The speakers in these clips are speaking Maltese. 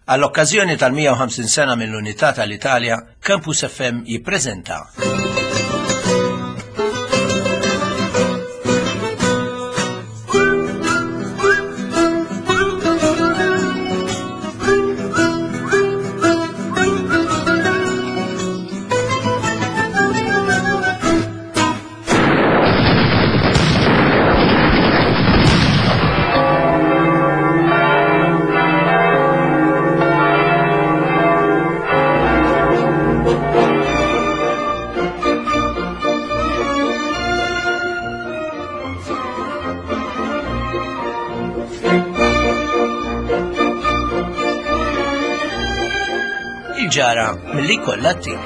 Għall-okkażjoni tal-150 sena mill-Unità tal-Italja, Campus FM jippreżenta Il-ġara mill-li kollha t-tim.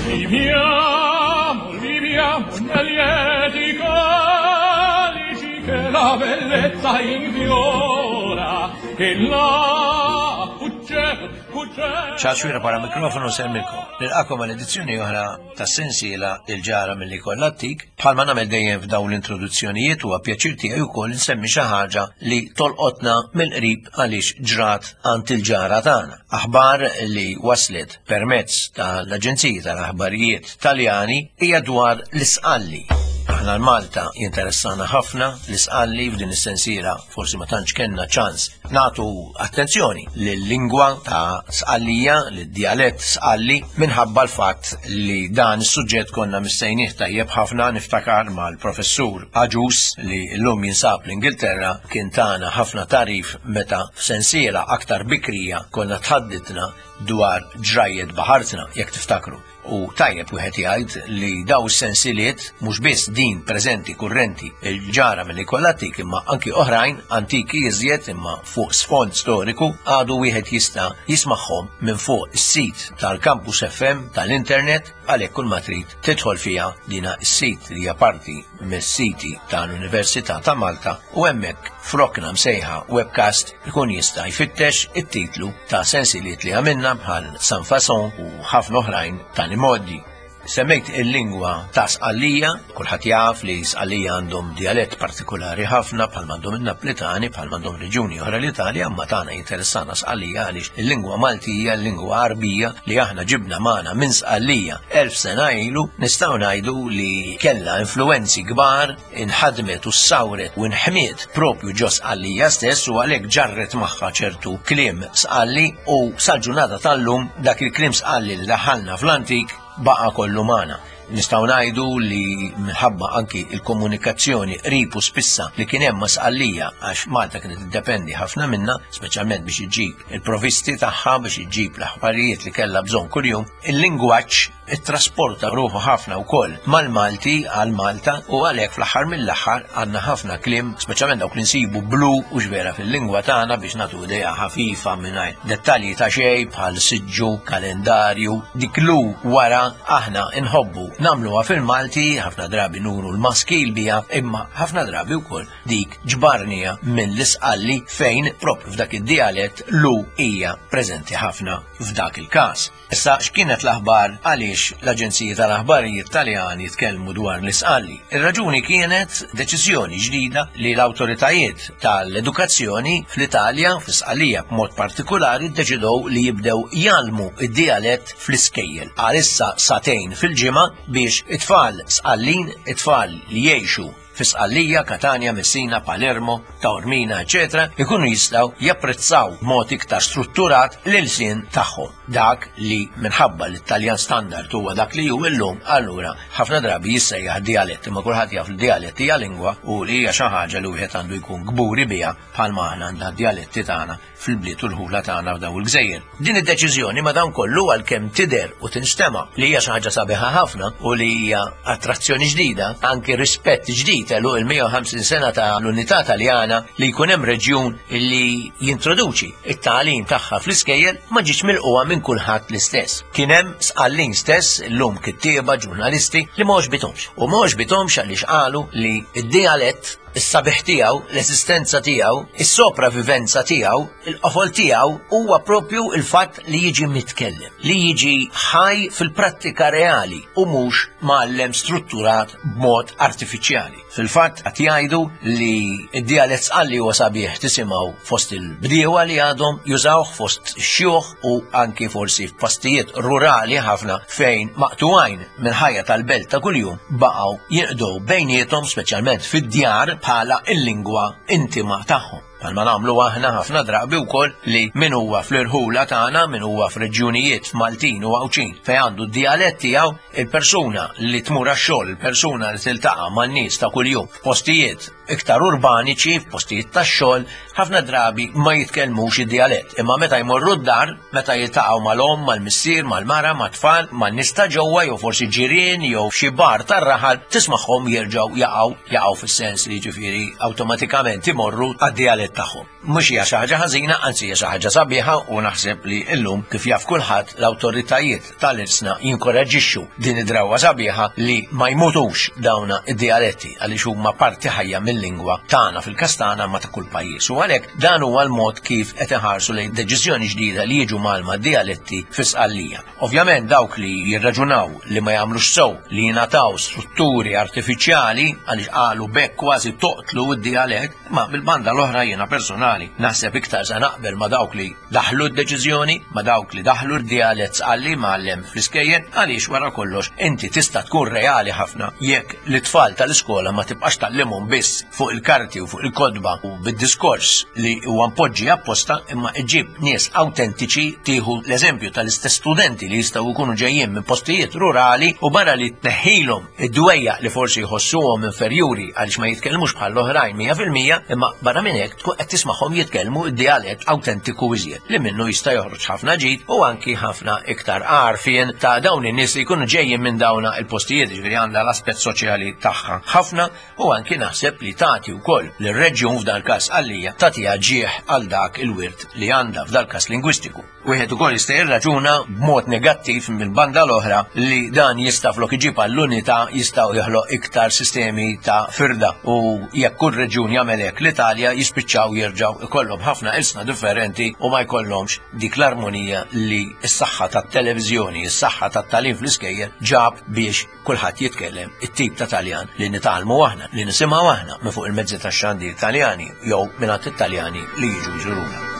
Viviamo, viviamo nel lieti calici che la bellezza infiora, che la fuggeva, fuggeva. Ciao xwira para mikrofonu semmilkom. Nilqakom għal edizzjoni oħra ta' sensiela il-ġara mill-li kollha tik. Bħalma nagħmel dejjem f'dawn l-introduzzjonijiet huwa pjaċir tiegħi wkoll insemmi xi ħaġa li tolqotna mill-qrib għaliex ġrat għand il-ġara tagħna. Aħbar li waslet permezz tal-Aġenziji tal-Aħbarijiet Taljani hija dwar l-Isqalli. Aħna l-Malta jinteressana ħafna l-Isqalli f'din is-sensiela forsi ma tantx kellna ċans nagħtu attenzjoni lil-lingwa ta' Sqallija, lid-djalett Sqalli minħabba l-fatt li dan is-suġġett konna missejnih tajjeb ħafna niftakar mal-professur Agius li llum jinsab l-Ingilterra kien tana ħafna tagħrif meta f'sensiela aktar bikrija konna tħadditna dwar ġrajjet baħartna jekk tiftakru. U tajjeb wieħed jgħid li daw is-sensiliet mhux biss din preżenti kurrenti il-ġara milli kollha antik imma anki oħrajn antiki iżjed imma fuq sfond storiku għadu wieħed jista' jismagħhom minn fuq is-sit tal-Campus FM tal-internet għalhekk kull ma trid tidħol fiha dina s-sit li hija parti mis-siti tal-Università ta' Malta u hemmhekk f'rokna msejħa webcast ikun jista' jfittex it-titlu ta' sensiliet li għamilna bħal San Fason u ħafna oħrajn tal-imgħoddi. Semmejt il-lingwa ta' Sqallija, kulħadd jaf li Sqallija għandhom djalett partikolari ħafna bħal m'għandhom in-Naplitani, bħal m'għandhom reġjuni oħra l-Italja, imma tagħna jinteressana Sqallija għaliex il-lingwa Maltija, il-lingwa Għarbija li aħna ġibna magħna minn Sqallija 1000 sena ilu, nistgħu ngħidu li kellha influwenzi kbar, inħadmet u ssawret u nħmiet propju ġo Sqallija stess u għalhekk ġarret magħha ċertu kliem Sqalli u sal-ġurnata tal-lum dak il-kliem Sqalli li daħħalna fl-antik baqa' kollu magħna. Nistgħu ngħidu li minħabba anki il-komunikazzjoni qrib u spissa li kien hemm ma' Sqallija għax Malta kienet tiddependi ħafna minnha, speċjalment biex iġġib il-provisti tagħha biex iġġib l-aħbarijiet li kellha bżonn kuljum, il-lingwaġġ ittrasporta ruħu ħafna wkoll mal-Malti għal Malta u għalhekk fl-aħħar mill-aħħar għandna ħafna kliem, speċjalment dawk li nsibu blu u x'vera fil-lingwa tagħna biex nagħtu idea ħafifa mingħajr dettalji ta' xejn bħal siġġu, kalendarju, dik lu wara aħna nħobbu nagħmluha fil-Malti, ħafna drabi nuru l-maskil biha, imma ħafna drabi wkoll dik ġbarnija minn l-Isqalli fejn propju f'dak id-dialett lu hija preżenti ħafna f'dak il-każ. Issa x'kienet l-aħbar għaliex l-aġenziji tal-aħbarijiet Taljani tkellmu dwar l-Isqalli? Ir-raġuni kienet deċiżjoni ġdida li l-awtoritajiet tal-edukazzjoni fl-Italja, fl-Isqallija b'mod partikulari, ddeċidew li jibdew jgħallmu d-dialett fl-iskejjel għalissa sagħtejn fil-ġimgħa biex it-tfal Sqallin, it-tfal li jgħixu fi Sqallija, Katanja, Messina, Palermo, Taormina, eċetera, ikunu jistgħu japprezzaw b'mod iktar strutturat l-ilsien tagħhom. Dak li minħabba li t-Taljan standard huwa dak li hu illum, allura ħafna drabi jissejjaħ dialett, imma kulħadd jaf li dialett hija lingwa u li hija xi ħaġa li wieħed għandu jkun kburi biha bħalma aħna għandna d-djaletti tagħna fil-bliet u l-ħula tagħna f'daw il-gżejjer. Din id-deċiżjoni madankollu għalkemm tidher u tinstema' li hija xi ħaġa sabiħa ħafna u li hija attrazzjoni ġdida, anki rispett ġdid għeluq il-150 sena ta' l-unità Taljana li jkun hemm reġjun li jintroduċi t-tagħlim tagħha fl-iskejjel ma ġietx milqugħa minn kulħadd l-istess. Kien hemm Sqallin stess, illum kittieba, ġurnalisti, li ma għoġbithomx. U ma għoġbithomx għaliex qalu li d-dijalett. Is-sabiħ tiegħu, l-eżistenza tiegħu, is-sopravivenza tiegħu, il-qofol tiegħu huwa propju il-fatt li jiġi mitkellem, li jiġi ħaj fil-prattika reali u mhux mgħallem strutturat b'mod artifiċjali. Fil-fatt qed jgħidu li d-dialett Sqalli huwa sabiħ tisimgħu fost il-bdiewa li għadhom jużawh fost xjuħ u anki forsi f'postijiet rurali ħafna fejn maqtugħin mill-ħajja tal-belt ta' kuljum baqgħu jinqdew bejniethom speċjalment fid-djar bħala l-lingwa intima tagħhom. Bħalma nagħmlu aħna ħafna drabi wkoll li min huwa fl-irħula tagħna, min huwa f'reġjunijiet Maltin u Għawdxin fejn għandu d-dialett tiegħu, il-persuna li tmur għax-xogħol, il-persuna li tiltaqa' man-nies ta' kuljum f'postijiet iktar urbaniċi, f'postijiet tax-xogħol, ħafna drabi ma jitkellmux id-dialett. Imma meta jmorru d-dar, meta jiltaqgħu mal-omm, mal-missier, mal-mara, mat-tfal, man-nies ta' ġewwa jew forsi ġirien jew f'xi bar tar-raħal, tismagħhom jerġgħu jaqgħu, jaqgħu fis-sens li jiġifieri awtomatikament imorru għad-dialett tagħhom. Mhux hija xi ħaġa ħażina, anzi hija xi ħaġa sabiħa u naħseb li llum kif jaf kulħadd l-awtoritajiet tal-ilsna jinkoraġġixxu din id-drawwa sabiħa li ma jmutux dawna id-dialetti għaliex huma parti ħajja mill-lingwa tagħna fil-każ tagħna ma ta' kull pajjiż. U għalhekk dan huwa l-mod kif qed iħarsu lejn deċiżjoni ġdida li jiġu mgħallma d-dialetti fi Sqallija. Ovvjament dawk li jirraġunaw li ma jagħmlux sew li jingħataw strutturi artifiċjali għaliex qalu b'hekk kważi toqtlu d-dialett, ma mill-banda l-oħra jiena personali naħseb iktar se naqbel ma dawk li daħlu d-deċiżjoni, ma dawk li daħlu d-dialett Sqalli mgħallem fl-iskejjel għaliex wara kollox inti tista' tkun reali ħafna jekk lit-tfal tal-iskola ma tibqax tgħallimhom biss fuq il-karti u fuq il-kotba u bid-diskors li huwa mpoġġi apposta imma iġġib nies awtentiċi tieħu l-eżempju tal-istess studenti li jistgħu jkunu ġejjin minn postijiet rurali u barra li tneħħilhom id-dwejjaq li forsi jħossuhom inferjuri għaliex ma jitkellmux bħall-oħrajn 100% imma barra minn hekk tkun qed tismagħhom jitkellmu d-dialett awtentiku iżjed li minnu jista' joħroġ ħafna ġid u anki ħafna iktar għarfien ta' dawn in-nies li jkunu ġejjin minn dawna il-postijiet, ġifieri għandha l-aspett soċjali tagħha ħafna u anki naħseb li tagħti wkoll lir-reġjun f'dal każ Sqallija tagħtiha ġieħ għal dak il-wirt li għandha f'dal każ lingwistiku. Wieħed ukoll jista' jirraġuna b'mod negattiv mill-banda l-oħra li dan jista' flok iġib għall-unità jistgħu joħloq iktar sistemi ta' firda u jekk kull reġjun jagħmel hekk l-Italja jispiċċaw jerġgħu ikollhom ħafna ilsna differenti u ma jkollhomx dik l-armonija li s-saħħa tat-televiżjoni, is-saħħa tat-tagħlim fl-iskejjel ġab biex kulħadd jitkellem it-tip ta' Taljan li nitgħallmu aħna, li nisimgħu aħna minn fuq il-mezzi tax-xandir Taljani jew mingħand it-Taljani li jiġu jżuruna.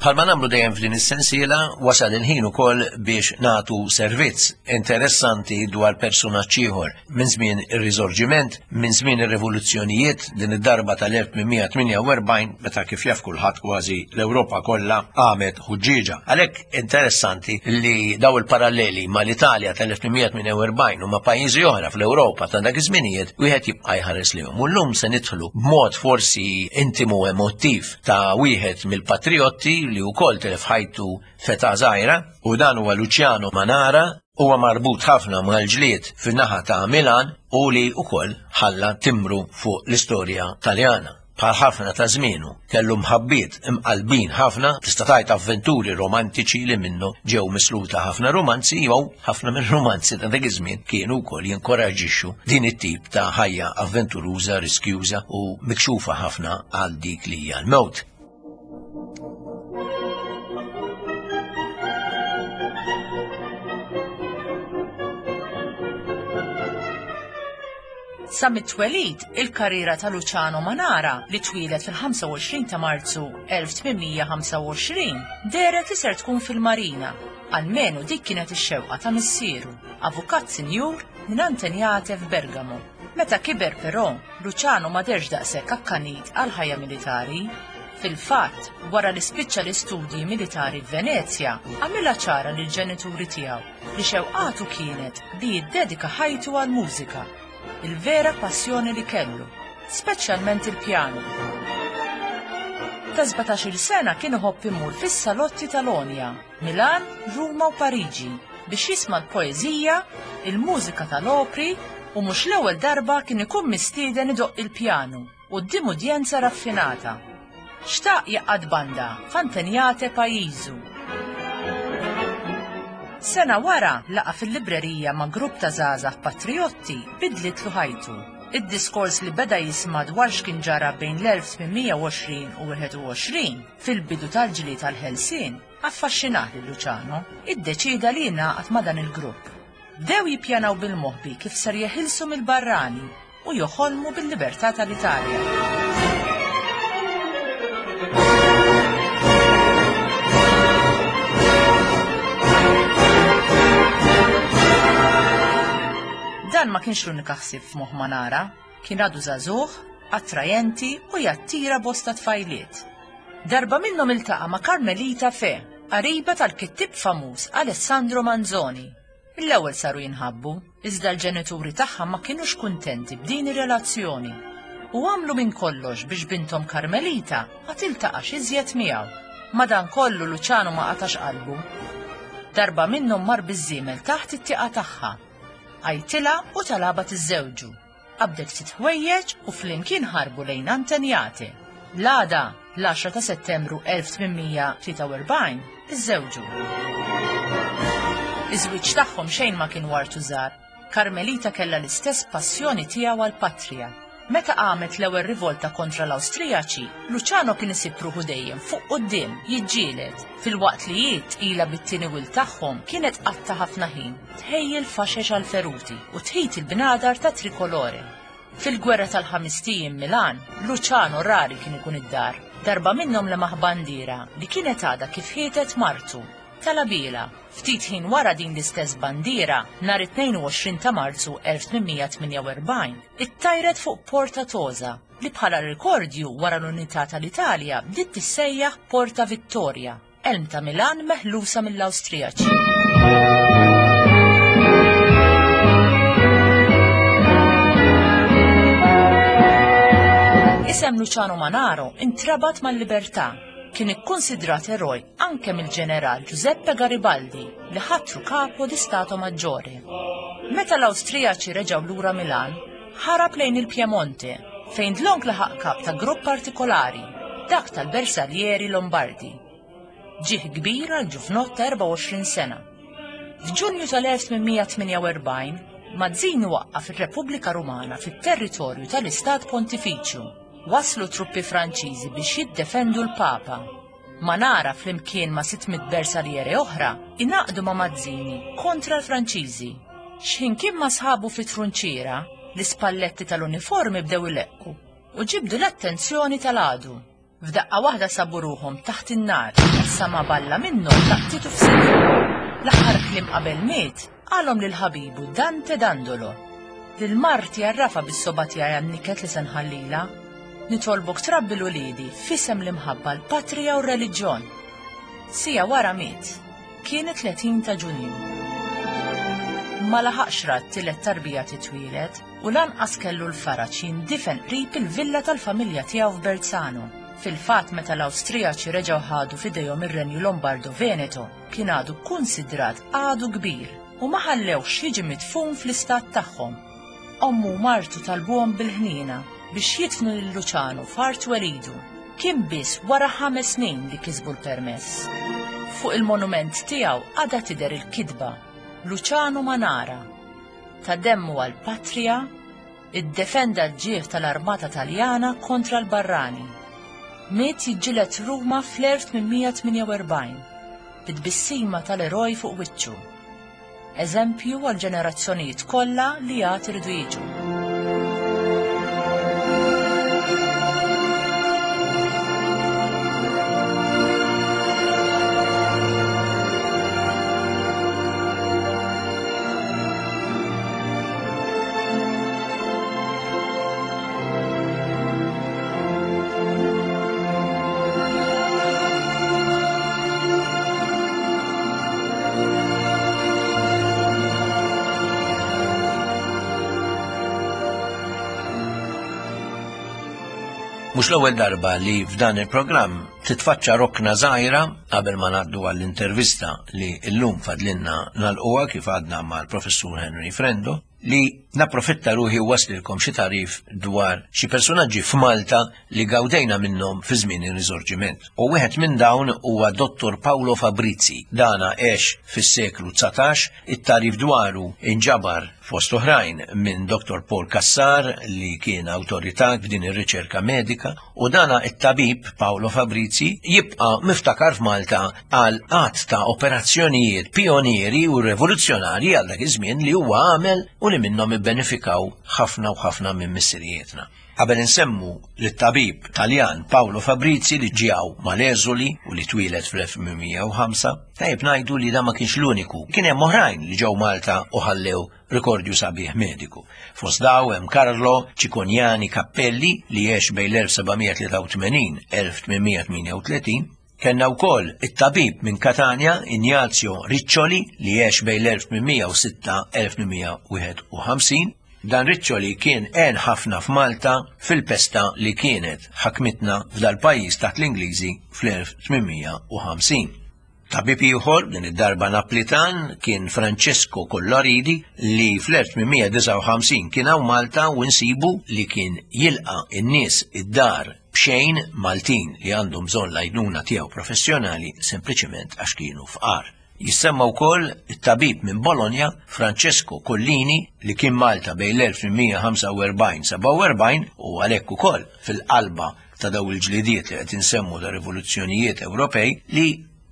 Bħalma nagħmlu dejjem f'din is-sensiela, wasal il-ħin ukoll biex nagħtu servizz interessanti dwar persunaġġ ieħor minn żmien ir-Riżorġiment, minn żmien ir-rivoluzzjonijiet, din id-darba tal-1848 meta kif jaf kulħadd kważi l-Ewropa kollha qamet ħuġġieġa. Għalhekk interessanti li daw il-paralleli mal-Italja tal-1848 u ma' pajjiżi oħra fl-Ewropa ta' dak iż-żminijiet wieħed jibqa' jħares lejhom. U llum se nidħlu b'mod forsi intimu emottiv ta' wieħed mill-patrijotti li wkoll tilef ħajtu f'età żgħira, u dan huwa Luciano Manara, huwa marbut ħafna mal-ġlied fin-naħa ta' Milan u li wkoll ħalla timbru fuq l-istorja Taljana. Bħal ħafna ta' żmienu, kellu mħabbiet imqallbin ħafna, tista' tgħid avventuri romantiċi li minnu ġew misluta ħafna rumanzi jew ħafna mir-rumanzi ta' dak iż-żmien kienu wkoll jinkoraġġixxu din it-tip ta' ħajja avventuruża, riskjuża u mikxufa ħafna għal dik li hija l-mewt. Sa mit-twelid, il-karriera ta' Luciano Manara, li twieled fil-25 ta' Marzu 1825, dehret li ser tkun fil-Marina. Almenu dik kienet ix-xewqa ta' missieru, avukat sinjur minn Antegnate f'Bergamo. Meta kiber però, Luciano ma dehrx daqshekk akkanit għall-ħajja militari. Fil-fatt, wara li spiċċa l-istudji militari f'Venezja, għamilha ċara lill-ġenituri tiegħu li xewqatu kienet li jiddedika ħajtu għall-mużika, il-vera passjoni li kellu, speċjalment il-pjanu. Ta' 17-il sena kien iħobb imur fis-salotti tal-għonja, Milan, Ruma u Pariġi, biex jisma' l-poeżija, il-mużika tal-opri. U mhux l-ewwel darba kien ikun mistieden idoqq il-pjanu quddiem udjenza raffinata. Xtaq jgħaqqad banda f'Antenjate pajjiżu. Sena wara laqgħa fil-librerija ma' grupp ta' żgħażagħ patrijotti bidlitlu ħajtu. Id-diskors li beda jisma' dwar x'kien ġara bejn l-1820 u 21 fil-bidu tal-ġlied għall-ħelsien affaxxinah lil Luciano. Iddeċieda li jingħaqad ma' dan il-grupp. Bdew jippjanaw bil-moħbi kif ser jeħilsu mill-barrani u joħolmu bil-libertà tal-Italja. Dan ma kienx l-unika ħsieb f'moħħ Manara, kien għadu żagħżugħ, attrajenti u jattira bosta tfajliet. Darba minnhom iltaqa' ma' Carmelita Fe, qariba tal-kittieb famuż Alessandro Manzoni. Mill-ewwel saru jinħabbu, iżda l-ġenituri tagħha ma kinux kuntenti b'din ir-relazzjoni u għamlu minn kollox biex binthom Carmelita ma tiltaqax iżjed miegħu. Madankollu Luciano ma qatax qalbu. Darba minnhom mar biż-żiemel taħt it-tieqa tagħha. Għajtilha u talabha tiżżewġu. Qabdet ftit ħwejjeġ u flimkien ħarbu lejn Antenjate. L-għada, l-10 ta' Settembru 1843, iżżewġu. Iż-żwieġ tagħhom xejn ma kien wartu żgħar. Carmelita kellha l-istess passjoni tiegħu għall-patrija. Meta qamet l-ewwel rivolta kontra l-Awstrijaċi, Luciano kien isib ruħu dejjem fuq quddiem, jiġġieled, filwaqt li hi, tqila bit-tieni wild tagħhom, kienet tqatta' ħafna ħin tħejji l-faxex għall-feruti u tħit il-bnadar ta' Tricolore. Fil-Gwerra tal-Ħamest Ijiem Milan, Luciano rari kien ikun id-dar. Darba minnhom lemaħ bandiera li kienet għadha kif ħietet martu. Talabielha. Ftit ħin wara din l-istess bandiera, nhar it-22 ta' Marzu 1848, ittajret fuq Porta Tosa, li bħala rikordju wara l-unità tal-Italja bdiet tissejjaħ Porta Vittoria. Elm ta' Milan meħlusa mill-Awstrijaċi. Isem Luciano Manaro intrabat mal-libertà. Kien ikkunsidrat eroj anke mill-ġeneral Giuseppe Garibaldi li ħatru kapo di Stato Maggiore. Meta l-Awstrijaċi reġgħu lura Milan, ħarab lejn il-Piemonte fejn dlonk laħaq kap ta' grupp partikolari, dak tal-Bersaglieri Lombardi. Ġieħ kbir għal ġuvnott ta' 24 sena. F'Ġunju tal-1848, Mazzini waqqaf ir-Repubblika Rumana fit-territorju tal-Istat Pontifiċju. Waslu truppi Franċiżi biex jiddefendu l-Papa. Manara flimkien ma' 600 bersaliere oħra ingħaqdu ma' Mazzini kontra l-Franċiżi. X'ħin kien ma' sħabu fi trunċiera, l-ispalletti tal-uniformi bdew ileqqu u ġibdu l-attenzjoni tal-għadu. F'daqqa waħda sabu ruħhom taħt in-nar, sa ma balla minnhom laqtitu f'sidru. L-aħħar kliem qabel miet qalhom lil ħabibu Dante Dandolo. Lil marti għarrafha bis-sogħba tiegħi għan-niket li se nħallilha. Nitolbok trabbi 'l uliedi f'isem l-imħabba l-patrija u r-reliġjon. Siegħa wara miet. Kien it-30 ta' Ġunju. Ma laħaqx ra t-tielet tarbija titwieled u lanqas kellu l-faraġ jindifen qrib il-villa tal-familja tiegħu f'Berzano. Fil-fatt meta l-Awstrijaċi reġgħu ħadu f'idejhom ir-Renju Lombardo-Veneto kien għadu kkunsidrat għadu kbir u ma ħallewhx jiġi midfun fl-istat tagħhom. Ommu u martu talbuhom bil-ħniena biex jidfnu lil Luciano f'art twelidu. Kien biss wara ħames snin li kisbu l-permess. Fuq il-monument tiegħu għadha tidher il-kitba Luciano Manara, ta demmu għall-patrija, iddefenda l-ġieħ tal-armata Taljana kontra l-barrani. Miet jiġġieled Ruma fl-1848, bi tbissima tal-eroj fuq wiċċu. Eżempju għall-ġenerazzjonijiet kollha li għad iridu jiġu. Mhux l-ewwel darba li f'dan il-programm titfaċċa rokna żgħira qabel ma ngħaddu għall-intervista li llum fadlinna nagħlquha kif għadna mal-Professur Henry Frendo. li napprofitta ruħi u waslilkom xi tagħrif dwar xi personaġġi f'Malta li gawdejna minnhom fi żmien ir-Risorġiment. U wieħed minn dawn huwa Dottor Paolo Fabrizi. Dana għex fis-seklu 19, it-tagħrif dwaru inġabar fost oħrajn minn Dottor Paul Cassar li kien awtorità f'din ir-riċerka medika u dana it-tabib Paolo Fabrizi jibqa' miftakar f'Malta għal għadd ta' operazzjonijiet pionieri u rivoluzzjonarji għal dak iż-żmien li huwa għamel u li minnhom ibbenefikaw ħafna u ħafna minn missirijietna. Qabel insemmu lit-tabib Taljan Paolo Fabrizi li ġie hawn mal-eżuli u li twieled fl-1805, tajjeb ngħidu li dan ma kienx l-uniku. Kien hemm oħrajn li ġew Malta u ħallew rikordju sabiħ mediku. Fost daw hemm Carlo Cicognani Cappelli li għex bejn l-1783-1838, Kellna wkoll it-tabib minn Katanja Ignazio Riccioli li għex bejn l-1806-1851. Dan Riccioli kien għen ħafna f'Malta fil-pesta li kienet ħakmitna f'dal-pajjiż taħt l-Ingliżi fl-1850. Tabib ieħor, din id-darba Naplitan, kien Francesco Collaridi li fl-1859 kien hawn Malta u nsibu li kien jilqa' n-nies id-dar b'xejn Maltin li għandhom bżonn l-għajnuna tiegħu professjonali sempliċement għax kienu fqar. Jissemma wkoll it-tabib minn Bologna Francesco Collini li kien Malta bejn l-1845-47 u għalhekk ukoll fil-qalba ta' daw il-ġlidiet li qed insemmu ta' rivoluzzjonijiet Ewropej li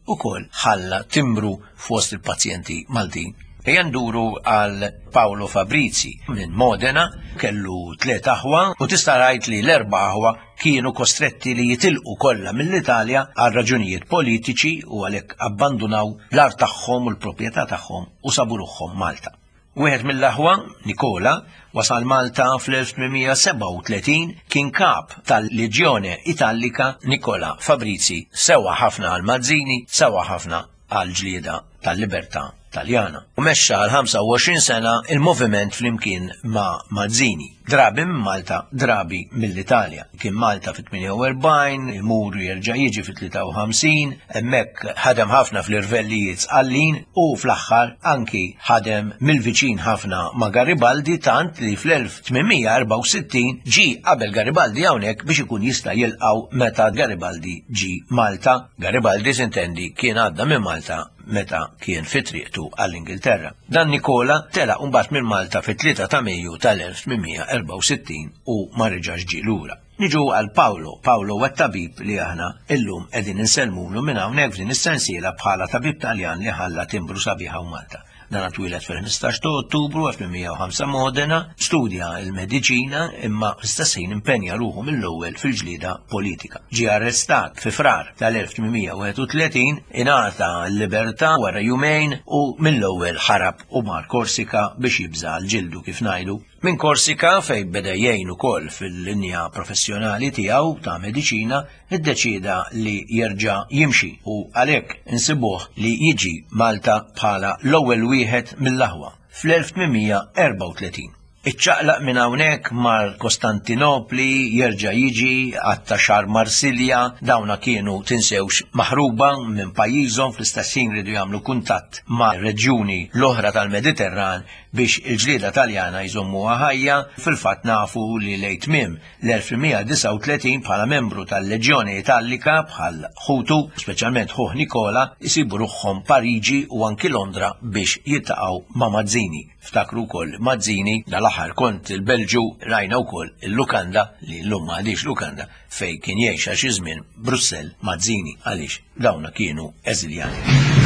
ukoll ħalla timbru fost il-pazjenti Maltin. Ejja nduru għal Paolo Fabrizi minn Modena, kellu tliet aħwa u tista' rajt li l-erba' aħwa kienu kostretti li jitilqu kollha mill-Italja għal raġunijiet politiċi u għalhekk abbandunaw l-art tagħhom u l-proprjetà tagħhom u sabu ruħhom Malta. Wieħed mill-aħwa, Nikola, wasal Malta fl-1837, kien kap tal-Legione Italica Nicola Fabrizi, sewa ħafna għal Mazzini, sewa ħafna għal ġlieda tal-libertà Taljana. U mexxa għal 25 sena il-moviment flimkien ma' Mazzini. Drabi minn Malta, drabi mill-Italja. Kien Malta fit-48, imur jerġa' jiġi fit-53, hemmhekk ħadem ħafna fl-irvellijiet Sqallin u fl-aħħar anki ħadem mill-viċin ħafna ma' Garibaldi tant li fl-1864 ġie qabel Garibaldi hawnhekk biex ikun jista' jilqgħu meta Garibaldi ġie Malta. Garibaldi sintendi kien għadda minn Malta meta kien fi triqtu għall-Ingilterra. Dan Nikola telaq mbagħad minn Malta fit-3 ta' Mejju tal-1864 u ma reġax ġie lura. Niġu għal Paolo. Paolo huwa t-tabib li aħna illum qegħdin insellmulu minn hawnhekk f'din is-sensiela bħala tabib Taljan li ħalla timbru sabiħ hawn Malta. Dan twieled fil-15 ta' Ottubru 1805 Modena, studja l-mediċina imma fl-istess ħin impenja ruħu mill-ewwel fil-ġlieda politika. Ġie arrestat fi Frar tal-1831, ingħata l-libertà wara jumejn u mill-ewwel ħarab u mar Korsika biex jibża' għal ġildu kif ngħidu. Minn Korsika fejn beda jgħin ukoll fil-linja professjonali tiegħu ta' mediċina, iddeċieda li jerġa' jimxi u għalhekk insibuh li jiġi Malta bħala l-ewwel wieħed mill-aħwa fl-1834. Iċċaqlaq minn hawnhekk mar Kostantinopli, jerġa' jiġi għatta xahar Marsilja, dawna kienu tinsewx maħruba minn pajjiżhom fl-istess ħin riedu jagħmlu kuntatt ma' reġjuni l-oħra tal-Mediterran biex il-ġlieda Taljana jżommuha ħajja, fil-fatt nafu li lejn tmiem l-1139 bħala membru tal-Leġjoni Italika bħal ħutu, speċjalment ħuh Nikola, isibu ruħhom Pariġi u anki Londra biex jiltaqgħu ma' Mazzini. Ftakru wkoll Mazzini dal-aħħar kont il-Belġju rajna wkoll il-lukanda li llum m'għadhiex lukanda fejn kien jgħix għal xi żmien Brussell Mazzini għaliex dawna kienu eżiljati.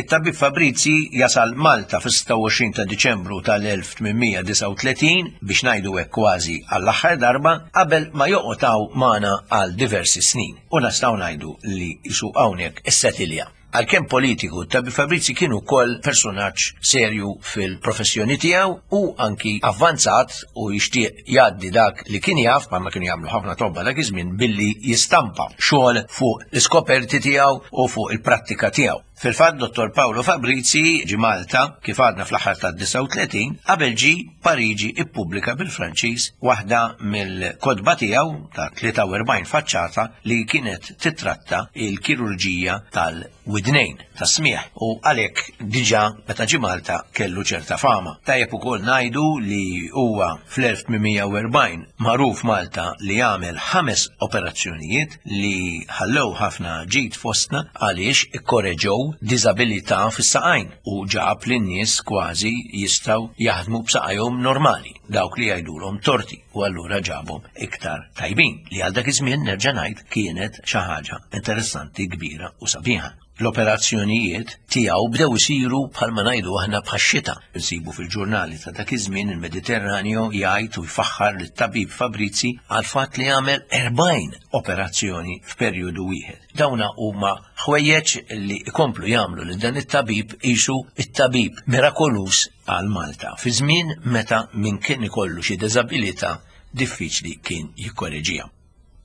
It-tabib Fabrizi jasal Malta fis-26 ta' Diċembru tal-1839 biex ngħidu hekk kważi għall-aħħar darba qabel ma joqgħod hawn magħna għal diversi snin u nistgħu ngħidu li jisu hawnhekk issetilja. Għalkemm politiku, Tabib Fabrizi kien ukoll persunaġġ serju fil-professjoni tiegħu u anki avvanzat u jixtieq jgħaddi dak li kien jaf, bħalma kienu jagħmlu ħafna tobba dak iż-żmien, billi jistampa xogħol fuq l-iskoperti tiegħu u fuq il-prattika tiegħu. Fil-fatt Dottor Paolo Fabrizi ġie Malta, kif għadna fl-aħħar tad-39, qabel ġie Pariġi ippubblika bil-Franċiż waħda mill-kotba tiegħu ta' 43 faċċata li kienet titratta il-kirurġija tal-widnejn, tas-smigħ, u għalhekk diġà meta ġie Malta kellu ċerta fama. Tajjeb ukoll ngħidu li huwa fl-1840 magħruf Malta li għamel ħames operazzjonijiet li ħallew ħafna ġid fostna għaliex ikkoreġew diżabilità fis-saqajn u ġab li n-nies kważi jistgħu jaħdmu b'saqajhom normali, dawk li jgħidulhom torti u allura ġabhom iktar tajbin li għal dak iż-żmien nerġa' ngħid kienet xi ħaġa interessanti kbira u sabiħa. L-operazzjonijiet tiegħu bdew isiru bħalma ngħidu aħna bħax-xita. Insibu fil-ġurnali ta' dak iż-żmien il-Mediterraneo jgħid u jfaħħar lit-tabib Fabrizi għall-fatt li għamel 40 operazzjoni f'perjodu wieħed. Dawna huma ħwejjeġ li jkomplu jagħmlu lil dan it-tabib qisu it-tabib mirakoluż għal Malta fi żmien meta min kien ikollu xi diżabilità diffiċli kien jikkoreġiha.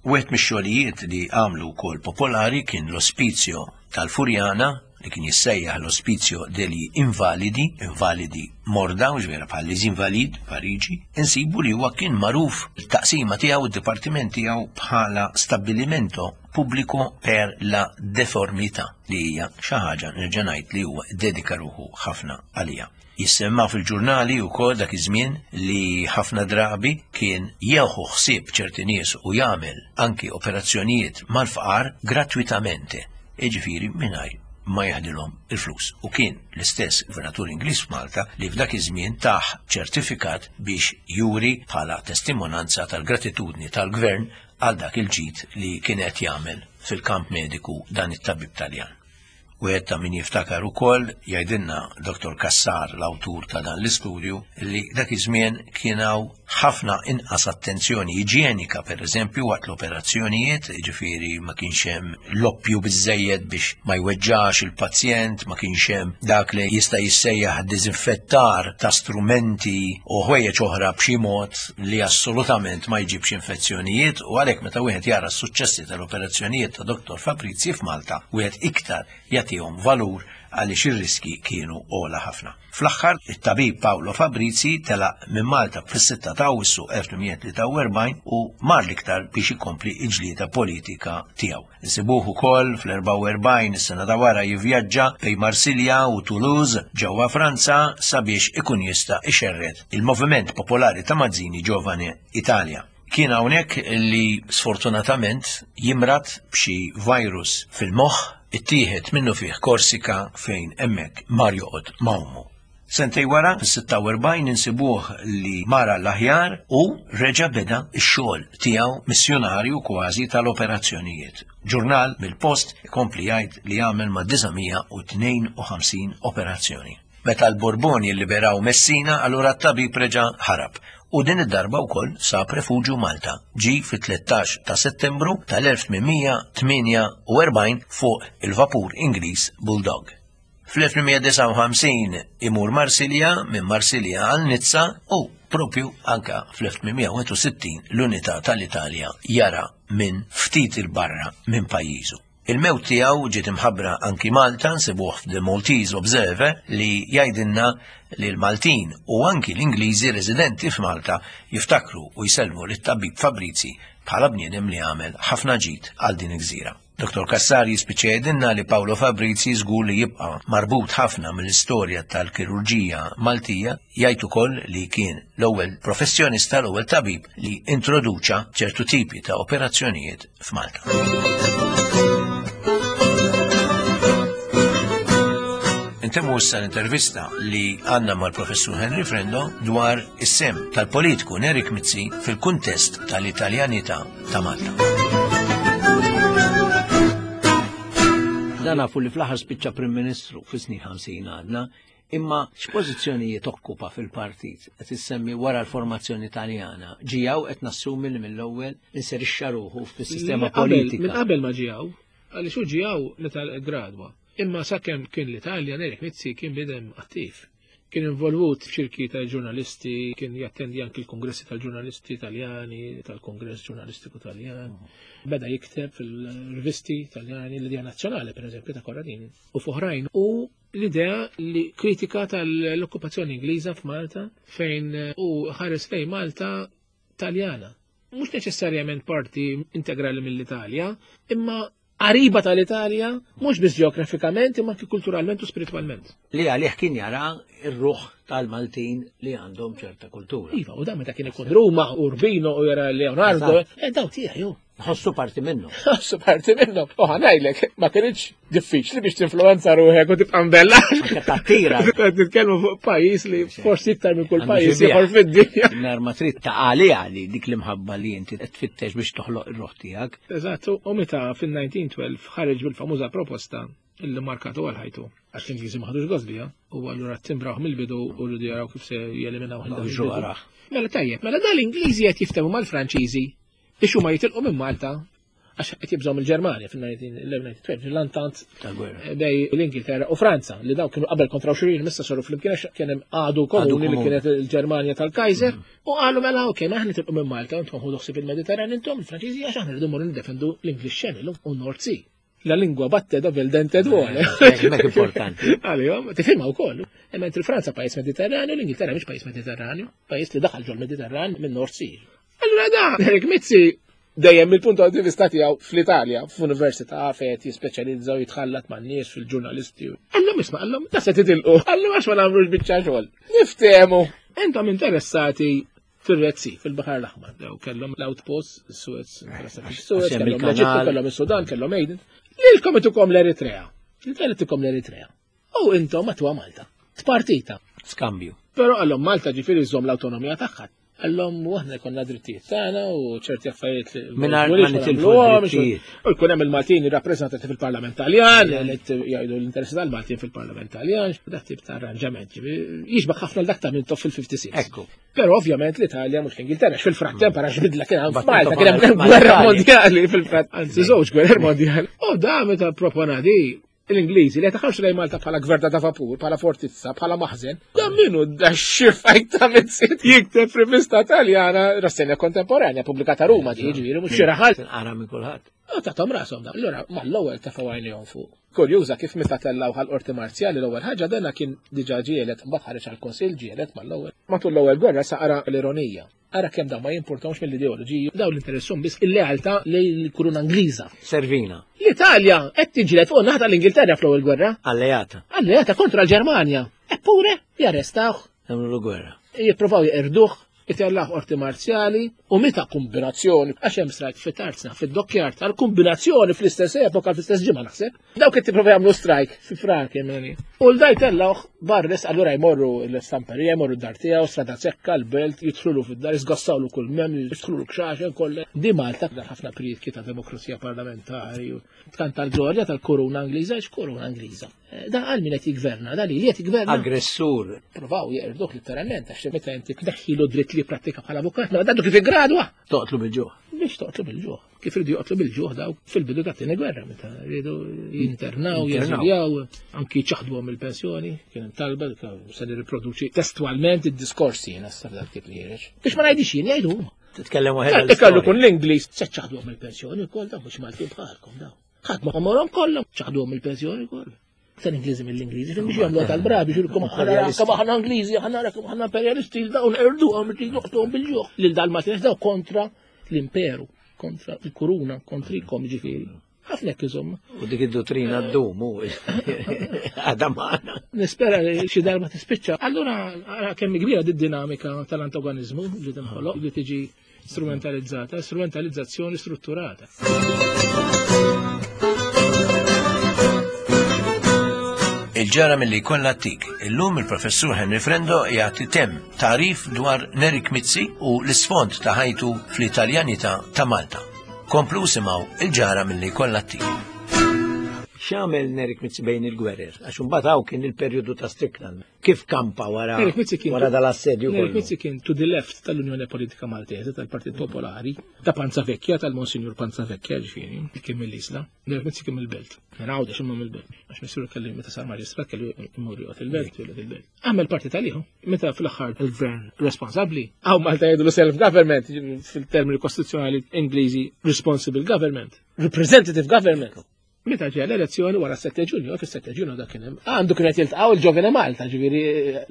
Wieħed mix-xogħlijiet li għamlu wkoll popolari kien l-Ospizio tal-Furjana, li kien jissejjaħ l-Ospizio degli Invalidi, invalidi morda, u ġvera bħal les Invalides, Pariġi, insibu li huwa kien magħruf il-taqsima tiegħu, id-dipartiment tiegħu bħala Stabilimento Pubblico per la Deformità, li hija xi ħaġa nerġa' ngħid li huwa ddedika ruħu ħafna għaliha. Jissemma fil-ġurnali wkoll dak iż-żmien li ħafna drabi kien jieħu ħsieb ċerti nies u jagħmel anki operazzjonijiet mal-fqar gratwitamente, jiġifieri mingħajr ma jeħdilhom il-flus. U kien l-istess gvernatur Ingliż f'Malta li f'dak iż-żmien tah ċertifikat biex juri bħala testimonanza tal-gratitudni tal-gvern għal dak il-ġid li kien qed jagħmel fil-kamp mediku dan it-tabib Taljan. Wieħed ta' min jiftakar ukoll, jgħidilna Dottor Cassar, l-awtur ta' dan l-istudju, li dak iż-żmien kien hawn ħafna inqas attenzjoni iġjenika, pereżempju, waqt l-operazzjonijiet, jiġifieri ma kienx hemm loppju biżżejjed biex ma jweġġax il-pazjent, ma kienx hemm dak li jista' jissejjaħ diżinfettar ta' strumenti u ħwejjeġ oħra b'xi mod li assolutament ma jġibx infezzjonijiet u għalhekk meta wieħed jara s-suċċessi tal-operazzjonijiet ta' Dottor Fabrizi f'Malta, wieħed iktar jagħtihom valur għaliex ir-riskji kienu ogħla ħafna. Fl-aħħar, it-tabib Paolo Fabrizi telaq minn Malta fis-6 ta' Awwissu 1843 u mar l-iktar biex ikompli l-ġlieda politika tiegħu. Insibuh ukoll fl-44 is-sena ta' wara jivvjaġġa bejn Marsilja u Toulouse ġewwa Franza sabiex ikun jista' ixerred il-Moviment Popolari ta' Mazzini Giovane Italia. Kien hawnhekk li sfortunatament jimrad b'xi virus fil-moħħ, ittieħed minnufih Korsika fejn hemmhekk mar joqgħod ma' ommu. Sentej wara, fis-46 insibuh li mar għall-aħjar u reġa' beda x-xogħol tiegħu missjunarju kważi tal-operazzjonijiet. Ġurnal mill-post ikompli jgħid li għamel ma' 952 operazzjoni. Meta l-Borboni lliberaw Messina, allura t-tabib reġa' ħarab u din id-darba wkoll sab refuġju Malta. Ġie fit-13 ta' Settembru tal-1848 fuq il-vapur Ingliż Bulldog. Fl-1859 imur Marsilja, minn Marsilja għal Nizza u propju anka fl-1861 l-unità tal-Italja jara minn ftit il-barra minn pajjiżu. Il-mewt tiegħu ġiet imħabbra anki Malta nsibuh f'The Maltese Observer li jgħidilna li l-Maltin u anki l-Ingliżi residenti f'Malta jiftakru u jsellmu lit-tabib Fabrizi bħala bniedem li għamel ħafna ġid għal din il-gżira. Dottor Cassar jispiċċa jgħidilna li Paolo Fabrizi żgur li jibqa' marbut ħafna mill-istorja tal-kirurġija Maltija, jgħid ukoll li kien l-ewwel professjonista, l-ewwel tabib li introduċa ċertu tipi ta' operazzjonijiet f'Malta. Intemmu issa l-intervista li għandna mal-professur Henry Frendo dwar is-sem tal-politiku Nerik Mizzi fil-kuntest tal-Italjanità ta' Malta. Dan nafu li fl-aħħar spiċċa Prim Ministru fis-snin 50 għadna, imma x'pożizzjonijiet okkupa fil-partit qed issemmi wara l-formazzjoni Taljana. Ġijaw qed nassumi li mill-ewwel inserixxa ruħu fis-sistema politika. Minn qabel ma ġijaw, għaliex hu ġijaw meta gradwa. Imma sakemm kien l-Italja Nerik Mizzi kien bidem attiv. Kien involvut f'ċirki ta' ġurnalisti, kien jattendi anki l-kongressi tal-ġurnalisti Taljani, tal-Kongress Ġurnalistiku Taljan. Beda jikteb fil-rivisti Taljani, l-Idea Nazzjonali, per eżempju, ta' Corradini, u f'oħrajn. U l-idea li kritika tal-okkupazzjoni Ingliża f'Malta fejn u ħares lejn Malta Taljana. Mhux neċessarjament parti integrali mill-Italja, imma qariba tal-Italja, mhux biss ġeografikament, imma anki kulturalment u spiritwalment. Li għalih kien jara r-ruħ tal-Maltin li għandhom ċerta kultura. Iva, u dan meta kien ikun Ruma, Urbino u jara Leonardo, eh, daw tiegħi ju. Ħossu parti minnu. Ħossu parti minnu. U ħanajlek, ma kienx diffiċli biex tinfluenza ruħek u tibqa' mbella. Tattira. Qed nitkellmu fuq pajjiż li forsi iktar minn kull pajjiż ieħor fid-dinja. Nar ma trid ta' għaliha li dik l-imħabba li inti qed tfittex biex toħloq ir-ruħ tiegħek. Eżatt, u meta fin-1912 ħareġ bil-famuża proposta illi markatu għal ħajtu. Għax l-Ingliżi ma ħadux gost biha, u allura timbrawh mill-bidu u rridu jaraw kif se jeliminaw Mela tajjeb, mela dal-Ingliżi qed jiftehmu mal-Franċiżi biex huma jitilqu minn Malta għax qed jibżgħu mill-Ġermanja fil-1912, l-antant bej l-Ingilterra u Franza li daw kienu qabel kontra xulxin missa saru flimkien għax kien hemm għadu komuni li kienet il-Ġermanja tal-Kaiser mm. u qalu mela okej ma aħna tilqu minn Malta intom ħudu ħsieb il-Mediterran intom il-Franċiżi għax aħna rridu mmorru niddefendu l-English Channel u North Sea. La lingua batte dove il dente duole. Mek importanti. Għalihom, tifhimha wkoll. Imma il-Franza pajjiż Mediterranju, l-Ingilterra mhix pajjiż Mediterranju, pajjiż li daħal ġol Mediterran minn North Sea. Allura da, Eric Mizzi dejjem mill-punt di vista tiegħu fl-Italja, f'università fejn qed jispeċjalizza u jitħallat man-nies fil-ġurnalisti. Għallhom isma' għallhom ta' se titilqu, għallhom għax ma nagħmlux biċċa xogħol. Niftehmu. Intom interessati fil-Red Sea, fil-Baħar l-Aħmar. Daw kellhom l-outpost, Suez, Suez, kellhom l-Eġittu, kellhom is-Sudan, kellhom Aden. Lilkom itukom l-Eritrea. L-Italja tukom l-Eritrea. U intom għatwa Malta. Tpartita. Skambju. Però għallhom Malta ġifieri żżomm l-awtonomija tagħha. Għallhom u aħna jkollna drittijiet tagħna u ċerti affarijiet li Mingħajr ma nitilfu drittijiet. U jkun hemm il-Maltin rappreżentati fil-Parlament Taljan, li jgħidu l-interessi tal-Maltin fil-Parlament Taljan, dak tip ta' arranġament. Jixbaħ ħafna l-dak ta' Mintoff fil-56. Ekku. Però ovvjament l-Italja mhux l-Ingilterra, fil-frattemp ara x'bidla kien hemm f'Malta, kien hemm gwerra mondjali fil-frat, anzi żewġ gwerer mondjali. U da meta propona di l-Ingliżi li taħarsu lejn Malta bħala gverta ta' vapur, bħala fortizza, bħala maħżen, dan minnu da xifajt ta' mizzit jikteb rivista Taljana rassenja kontemporanja pubblikata Ruma di ġifieri mhux xi raħal. Ara minn kulħadd. U tagħhom rashom da. Allura mal-ewwel tefgħu għajnejhom fuq. Kurjuża kif meta tellgħu ħal-qorti marzjali l-ewwel ħaġa dana kien diġà ġielet mbagħad ħareġ għall-kunsill ġielet mal-ewwel. Matul l-ewwel gwerra sa qara l-ironija. Ara kemm dawn ma jimpurtawx mill-ideoloġiji, dawn l-interessum biss il-lealtà lejn il-kuruna Ingliża. Servina. L-Italja qed tiġilet fuq naħa tal-Ingilterra fl-ewwel gwerra. Alleata. Alleata kontra l-Ġermanja. Eppure jarrestawh. Jagħmlu gwerra. Jippruvaw jeqirduh, itellaħ qorti marzjali u meta kombinazzjoni, għax hemm strajk fit-tarzna, fid-dokkjar tal-kombinazzjoni fl-istess epoka, fl-istess ġimgħa naħseb. Dawk qed tipprova jagħmlu strajk fi Frank jemeni. U l-daj tellawh barres allura jmorru l-istamperija, jmorru d-dar tiegħu, strada sekka, l-belt, jidħlulu fid-dar, jisgassawlu kull mem, jidħlulu kxaxen kollha. Di Malta dar ħafna prietki ta' demokrazija parlamentari, tkanta l-glorja tal-kuruna Ingliża, x'kuruna Ingliża. Eh, da għal min qed jigverna, da li qed jigverna. Aggressur. Provaw jeqrduk letteralment għax meta inti tneħħilu dritt li prattika bħala avukat, mela dadu kif iggradwa. Toqtlu bil-ġuħ. Biex toqtlu bil-ġuħ. Kif ridu joqtlu bil-ġuħ daw fil-bidu ta' tieni gwerra meta rridu jinternaw, jeżiljaw, anki ċaħduhom il-pensjoni, kien hemm talba se nirriproduċi testwalment id-diskorsi jiena sa dak tip li ħireġ. Biex ma ngħidix jien jgħidu huma. Titkellem waħedha. Ikallu kun l-Ingliż se ċaħduhom il-pensjoni wkoll daw mhux Maltin bħalkom daw. Ħadd ma għomorhom kollha, ċaħduhom il-pensjoni kollha. Aktar Ingliżi mill-Ingliżi, biex jagħmlu tal-bravi, xilkom aħna aħna Ingliżi, aħna rakom aħna imperialisti, dawn erduhom, noqtuhom bil-ġuħ. Lil dal-Maltin daw kontra l-imperu, kontra il-kuruna, kontrikom ġifieri. Ħafna hekk iżomma. U dik id-dottrina ddum u għadha magħna. Nispera li xi darba tispiċċa. Allura ara kemm kbira did-dinamika tal-antagonizmu li tinħoloq li tiġi strumentalizzata, strumentalizzazzjoni strutturata. Il-ġara mill-li kollha tik. Illum il-professur Henry Frendo jagħti tem tarif dwar Nerik Mizzi u l-isfond ta' ħajtu fl-Italjanità ta' Malta. Komplu simgħu il-ġara mill-li kollha tik. X'għamel Nerik Mizzi bejn il-gwerer? Għax imbagħad hawn kien il-perjodu ta' Strickland. Kif kampa wara wara dal-assedju Nerik Mizzi kien to the left tal-Unjoni Politika Maltese tal-Partit Popolari, ta' Panza Vecchia, tal-Monsignor Panza Vecchia, ġifieri, kien mill-Isla. Nerik Mizzi kien mill-Belt. Minn Għawdex imma mill-Belt. Għax missieru kelli meta sar maġistrat kellu jmur joqgħod il-Belt, joqgħod il-Belt. Għamel partit għalihom. Meta fl-aħħar il-gvern responsabbli, għaw Malta jgħidu self-government fil-termini kostituzzjonali Ingliżi responsible government, representative government. Meta ġeja l-elezzjoni wara 7 Ġunju, fis-7 Ġunju dak kien hemm. Għandu kien qed jiltqgħu il-Ġovene Malta, ġifieri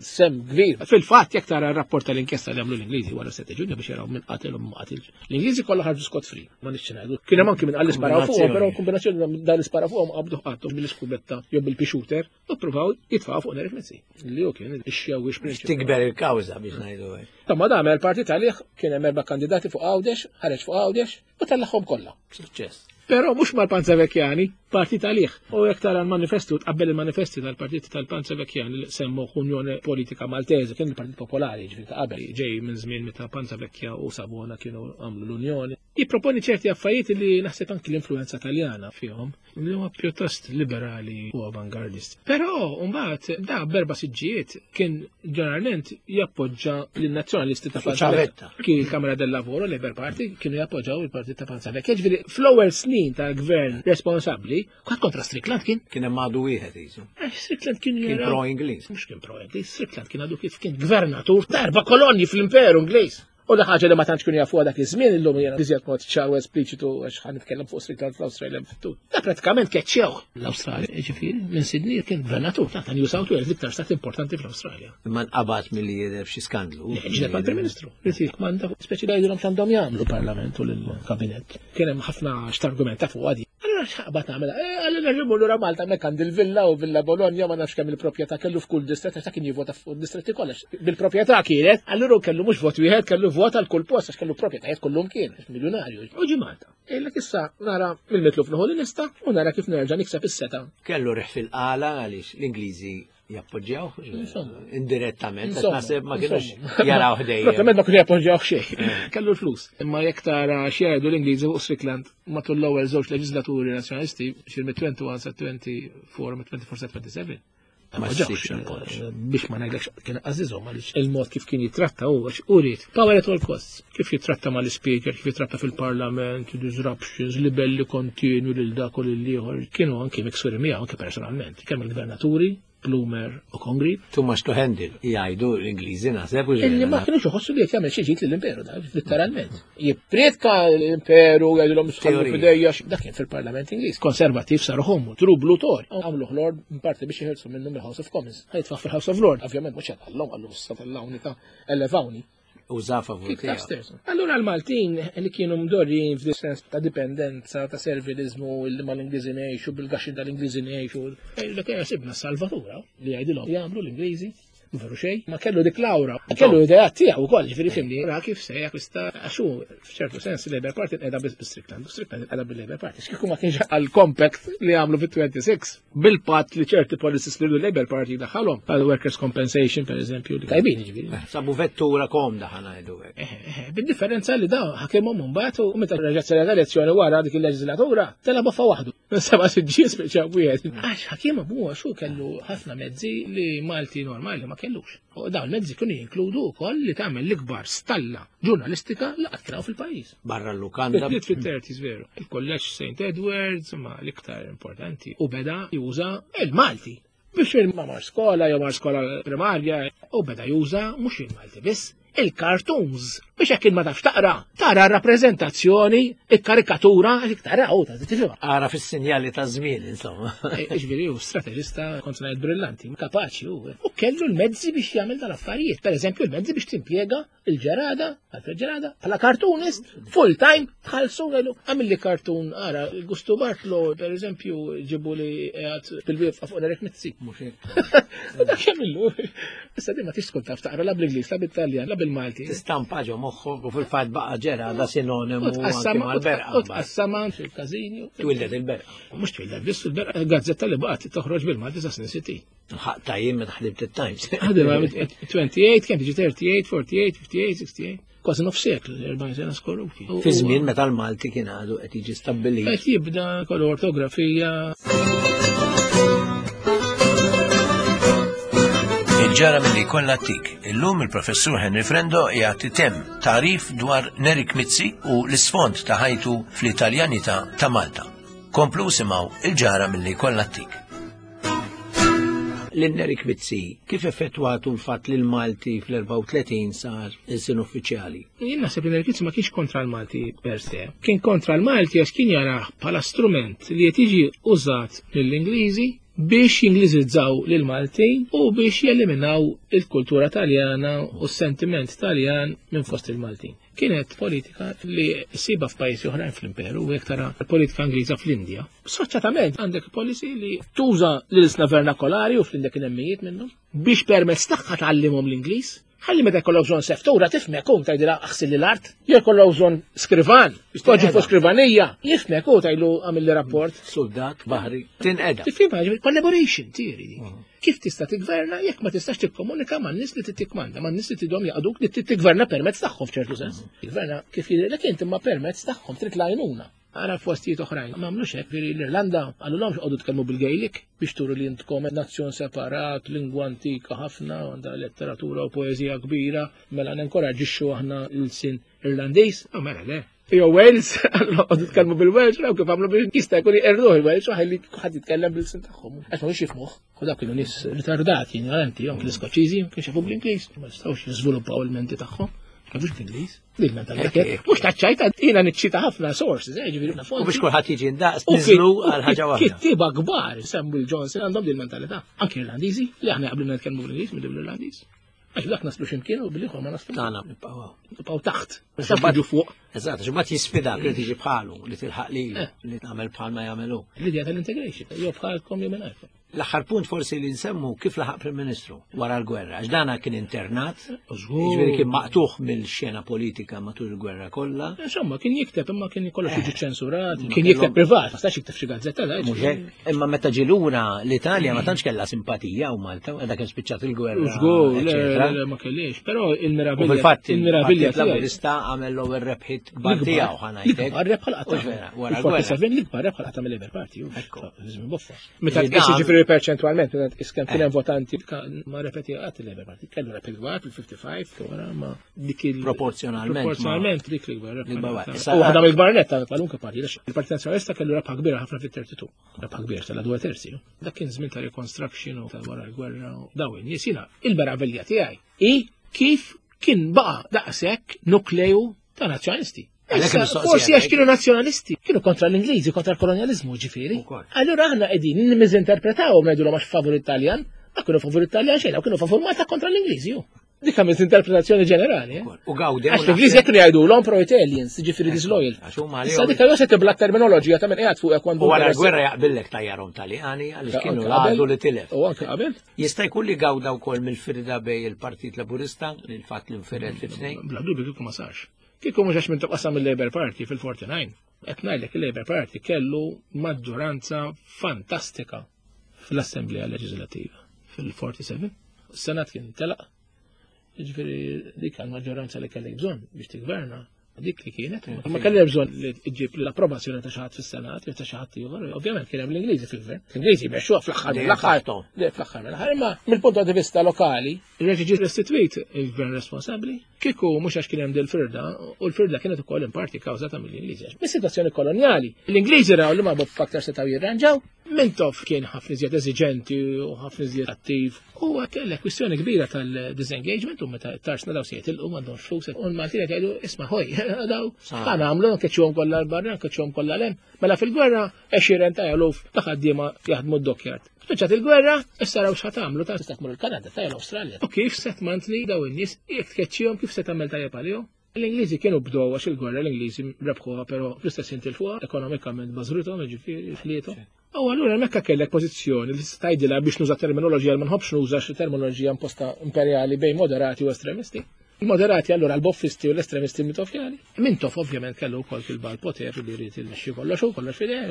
sem kbir. Fil-fatt jekk tara r-rapport tal-inkjesta li għamlu l-Ingliżi wara 7 Ġunju biex jaraw minn qatel u ma qatilx. L-Ingliżi kollha ħarġu scot free, ma nixxi ngħidu. Kien hemm anki minn qal isparaw fuqhom, però kombinazzjoni dan isparaw fuqhom qabdu qattu bil-iskubetta jew bil-pixuter u ppruvaw jitfgħu fuq Nerik Mizzi. Li hu kien ix-xewwix prinċipali. Tikber il-kawża biex ngħidu hekk. Ta' ma dam il-partit għalih kien hemm erba' kandidati fuq Għawdex, ħareġ fuq Għawdex u tellagħhom kollha. Suċċess. Però mhux mal-Panza Vecchiani, partit għalih. U jekk tara l-manifestu, tqabbel il-manifesti tal-partit tal-Panza Vecchiani li semmu Unjoni Politika Maltese, kien il-Partit Popolari, ġifieri ta' qabel, ġej minn żmien meta Panza Vecchia u Savona kienu għamlu l-Unjoni. Jipproponi ċerti affarijiet li naħseb anki l-influenza Taljana fihom, li huma pjuttost liberali u avangardist. Però mbagħad da berba siġġijiet kien ġeneralment jappoġġa lin-nazzjonalisti ta' Panzavetta. Kien il-Kamra del Lavoro, Labour Party, kienu jappoġġaw il-Partit ta' Panzavetta. Ġifieri fl-ewwel snin tal-gvern responsabbli, kwatt kontra Strickland kien. Kien hemm għadu wieħed jisu. Eh, Strickland kien kien pro-Ingliż. Mhux kien pro-Ingliż, Strickland kien għadu kif kien gvernatur ta' erba' kolonji fl-Imperu Ingliż. U da ħaġa li ma tantx kienu jafuha dak iż-żmien illum jiena iżjed mod ċar u espliċitu għax ħa nitkellem fuq Strickland fl-Awstralja fit-tul. Da pratikament keċċew l-Awstralja, ġifieri minn Sydney kien gvernatur ta' New South Wales, l-iktar stat importanti fl-Awstralja. Imma nqabad milli jidher f'xi skandlu. Ġdeb għall-Prim Ministru. Rid jikmanda speċi jgħidulhom x'għandhom jagħmlu parlament u lill-kabinett. Kien hemm ħafna x'targumenta fuq għadi. Allura x'ħaqbad nagħmel? Eh, allura nerġgħu lura Malta hemmhekk għandi l-villa u Villa Bologna ma nafx kemm il-proprjetà kellu f'kull distrett għax kien jivvota fuq distretti kollha. Bil-proprjetà kienet, allura kellu mhux vot wieħed, kellu vot għal kull post għax kellu proprjetajiet kullum kien, miljunarju. U ġi Malta. Ejlek issa nara mill-mitluf nieħu l-lista u nara kif nerġa' nikseb is-seta. Kellu riħ fil-qala għaliex l-Ingliżi jappoġġjaw indirettament, għax naħseb ma kienux jaraw ħdejjem. Proprjament ma kienu jappoġġjaw xejn. Eh. Kellu l-flus. Imma jekk tara x'jgħidu l-Ingliżi fuq Strickland matul l-ewwel żewġ leġislaturi nazzjonalisti, xi mit-21 sa 24 mit-24 sa 27. Ma ssibx biex ma ngħidlekx kien għażiżhom għaliex il-mod kif kien jitratta u għax urid power at all costs. Kif jitratta mal-speaker, kif jitratta fil-parlament, disruptions, libelli kontinwi lil dak u lil ieħor, kienu anki miksuri miegħu anki personalment. Kemm il-gvernaturi, Plumer u Congreve. Too much to handle, jgħidu l-Ingliżi naħseb. Illi ma kienux iħossu li qed jagħmel xi ġid lill-imperu da, letteralment. Jippriedka l-imperu jgħidulhom sħallu fidejja, dak kien fil-Parlament Ingliż. Konservattiv saru hommu, true blue Tory. Għamlu Lord parti biex jeħilsu minnu mill-House of Commons. Ħajtfa fil-House of Lord, ovvjament mhux hekk għallhom għallu s-satellawni ta' elevawni. Uża favur tiegħu. Allura l-Maltin li kienu mdorrijin f'di sens ta' dipendenza, ta' servilizmu li ma l-Ingliżi ngħixu, bil-gaxxi tal-Ingliżi ngħixu, li kien sibna salvatura li jgħidilhom jagħmlu l-Ingliżi veru xejn, ma kellu dik l-awra, kellu ideat tiegħu wkoll, ġifieri fimni, ra kif se jakkwista għax hu f'ċertu sens il-Labour Party qiegħda biss bi-Strickland, u Strickland qiegħda bil-Labour Party. X'kieku ma kienx għall-compact li għamlu fit-26 bil-patt li ċerti policies li l-Labour Party daħalhom, għal workers compensation per eżempju, li tajbin ġifieri. Eh, sabu vettura komda ħanajdu hekk. Eh, eh, bid-differenza li dawn ħakimhom mbagħad u meta reġgħet saret elezzjoni wara dik il-leġislatura, tela boffa waħdu. Seba' siġġi speċa wieħed. Għax ħakimhom huwa xu kellu ħafna mezzi li Malti normali ma kellux. U dawn il-mezzi kienu jinkludu wkoll li tagħmel l-ikbar stalla ġurnalistika li qatt kien fil-pajjiż. Barra l-lukanda. Bdiet fit-30s veru. Il-kolleġġ St. Edwards ma l-iktar importanti u beda juża il-Malti. Biex ma mar skola jew mar skola primarja u beda juża mhux il-Malti biss, il-cartoons biex hekk ma tafx taqra, tara r-rappreżentazzjoni, il-karikatura, għax tara u ta' tifhimha. Ara fis-sinjali ta' żmien, insomma. Eh, ġifieri hu strateġista kont ngħid brillanti, kapaċi hu. U kellu l-mezzi biex jagħmel dal-affarijiet. Per eżempju, l-mezzi biex timpjega il-ġerada, Alfred Ġerada, bħala cartoonist, full time, tħallsu għelu, għamil li cartoon, ara, Gustu Bartlo, per eżempju, ġibu li għad bil-wifqa fuq Eric Mizzi. Dak jagħmillu. Issa di ma tix tkun taf taqra la bl-Ingliż, la bil-Taljan, la bil-Malti. Tistampa ġo moħħok u fil-fatt baqa' ġerada sinonimu anke mal-berqa. U tqassama fil-każini. Twildet il-berqa. Mhux twildet biss il-berqa, gazzetta li baqgħet toħroġ bil-Malti sa snin 60. Ħaq tajjim meta ħdimt it-Times. Ħadem 28, kemm tiġi 38, 48, 58, 68. Kważi nofs seklu, 40 sena skorruti. Fi żmien meta l-Malti kien għadu qed jiġi stabbilit. Qed jibda kollu ortografija. Il-ġara milli jkollna tik. Illum il-professur Henry Frendo jagħti tem tarif dwar Nerik Mizzi u l-isfond ta' ħajtu fl-Italjanità ta' Malta. Komplu simgħu il-ġara milli jkollna tik. Lil Nerik Mizzi, kif effettwatu l-fatt li l-Malti fl-34 sar ilsien uffiċjali? Jien naħseb li Nerik Mizzi ma kienx kontra l-Malti per se. Kien kontra l-Malti għax kien jarah bħala strument li qed jiġi użat mill-Ingliżi biex jingliżizzaw lill-Maltin u biex jeliminaw il-kultura Taljana u s-sentiment Taljan minn fost il-Maltin. Kienet politika li ssibha f'pajjiżi oħrajn fl-imperu u jekk tara l-politika Ingliża fl-Indja. Sfaċċatament għandek policy li tuża l-ilsna vernakolari u fl-Indja kien hemm mijiet minnhom biex permezz tagħha tgħallimhom l-Ingliż. Ħalli meta jkollok bżonn seftura tifhmek u tgħidilha aħsil l-art, jew jkollok bżonn skrivan, poġġi fuq skrivanija, jifhmek u tgħidlu għamilli rapport. Soldat, baħri, tinqeda. Tifhimha, collaboration tieri dik. Kif tista' tiggverna jekk ma tistax tikkomunika man-nies li tittikmanda, man-nies li tidhom jaqduk li tigverna permezz tagħhom f'ċertu sens. Tigverna kif jidhirlek int imma permezz tagħhom trid l-għajnuna. Ara f'postijiet oħrajn. Ma għamlux hekk, veri l-Irlanda qalulhomx qogħdu tkellmu bil-Gaelic biex turu li intkom nazzjon separat, lingwa antika ħafna, għandha letteratura u poeżija kbira, mela nenkoraġġixxu aħna l-sin Irlandiż. Ah, mela le. Jew Wales, qogħdu tkellmu bil-Welsh, raw kif għamlu biex jista' jkun jqerduh il-Welsh u ħalli ħadd jitkellem bil-sin tagħhom. Għax ma jifhmuh. U dak kienu nies ritardati, ignoranti, anki l-Iskoċċiżi, kienu jafu bl-Ingliż, ma jistgħux jiżviluppaw il-menti tagħhom. Jafux bl-Ingliż. Dik mentalità. Mhux taċċajta jiena niċċita ħafna sources, eh, ġifieri U biex kulħadd jiġi ndaqs niżlu għal ħaġa waħda. Kittieba kbar Samuel Johnson għandhom din mentalità. Anki Irlandiżi, li aħna qablu nitkellmu bl-Ingliż mill l-Irlandiż. Għax dak naslu ximkien u bil-ieħor ma naslu. Tagħna nibqgħu. Nibqgħu taħt. Nibqgħu fuq. Eżatt, għax imbagħad jisfidak li tiġi bħalu, li tilħaq lilu, eh. li tagħmel bħal ma jagħmelu. L-idea tal-integration, jew bħalkom jew mingħajrkom. L-aħħar punt forsi li nsemmu kif laħaq Prim Ministru wara l-gwerra, għax dana kien internat, jiġifieri kien maqtuħ mill-xena politika matul il-gwerra kollha. Insomma, kien jikteb imma kien kollox jiġi eh. ċensurat, kien jikteb privat, ma stax jikteb xi gazzetta da. Imma meta ġie lura l-Italja ma tantx kellha simpatija u Malta, dak kien spiċċat il-gwerra. Żgur, le, ma kellix, però il-meravilja. Fil-fatt, il-meravilja Laburista għamel l-ewwel rebħiet kbar tiegħu ħanajtek. L-ikbar rebħa l-qatta. Wara l-gwerra. L-ikbar rebħa l-qatta mill-Labour Party. Meta tqis ġifieri perċentwalment, meta tqis kemm kien hemm eh. votanti, ma repeti qatt il-Labour Party, kellu rebħiet kbar fil-55, wara ma dik il Proporzjonalment. Proporzjonalment dik l-ikbar rebħa. U waħda mill-kbar netta kwalunkwe parti, il-Partit Nazzjonalista kellu rebħa kbira ħafna fit-32. Rebħa kbira tal dwa terzi. Dak kien żmien ta' reconstruction u ta' wara l-gwerra u daw in-nies jiena il-meravilja tiegħi i kif kien baqa' daqshekk nukleju ta' nazzjonalisti. Forsi għax kienu nazzjonalisti, kienu kontra l-Ingliżi, kontra l-kolonjalizmu ġifieri. Allura aħna qegħdin nimmiżinterpretaw ngħidulhom għax favur Italjan, ma kienu favur Italjan xejn, kienu favur Malta kontra l-Ingliżi. Dik għamilt interpretazzjoni ġenerali. Eh? U gawdi. Għax l-Ingliżi jekk jgħidu l pro-Italians, ġifieri disloyal. Issa dik allura se tibla terminoloġija ta' minn qiegħed fuq għandu. U wara l-gwerra jaqbillek tajjarhom Taljani għaliex kienu l-għadu li tilef. U anke qabel. Jista' jkun li gawda wkoll mill-firda bej il-Partit Laburista, li l-fatt li nfired fi tnejn. Bla dubju kieku ma sarx. Kieku mhux għax minn tqassam il-Labour Party fil-49. Qed ngħidlek il-Labour Party kellu maġġoranza fantastika fl-Assemblea Leġislativa fil-47. Senat kien telaq, ġifieri dik għal maġġoranza li kellek bżonn biex tigverna dik li kienet. Ma kellek bżonn li ġib l-approvazzjoni ta' xi ħadd fis-Senat jew ta' xi ħadd ieħor. Ovvjament kien hemm l-Ingliżi fil-gvern. L-Ingliżi mexxuha fl-aħħar mill-aħħar. Fl-aħħar mill-aħħar, imma mill-punt di vista lokali, reġa' ġie restituit il-gvern responsabbli. Kieku mhux għax kien hemm dil-firda, u l-firda kienet ukoll in parti kawżata mill-Ingliżi. Mis-sitwazzjoni kolonjali, l-Ingliżi raw li ma aktar setgħu jirranġaw, Mintoff kien ħafna iżjed eżiġenti u ħafna iżjed attiv. U kellek kwistjoni kbira tal-disengagement u meta tarsna daw se jitilqu m'għandhomx flus. U l-Maltin qed jgħidu isma' ħoj, daw ħa nagħmlu nkeċċuhom kollha l-barra, nkeċċuhom kollha l Mela fil-gwerra għexieren ta' eluf ta' ħaddiema jaħdmu d-dockyard. Spiċċat il-gwerra, issa raw x'ħa tagħmlu ta' tista' tmur il-Kanada, ta' l-Awstralja. U kif se tmantni daw in-nies jekk tkeċċihom kif se tagħmel tajjeb għalihom? L-Ingliżi kienu bdew għax il-gwerra l-Ingliżi rebħuha però fl-istess ħin tilfuha ekonomikament bażruthom, jiġifieri ħliethom. U allura hemmhekk kellek pożizzjoni li tista' tgħidilha biex nuża terminoloġija li ma nħobbx nuża xi terminoloġija imposta imperjali bejn moderati u estremisti. Il-moderati allura l-boffisti u l-estremisti mitofjani. Mintoff ovvjament kellu wkoll fil-bal poter li jrid il-mexxi kollox u kollox fideh.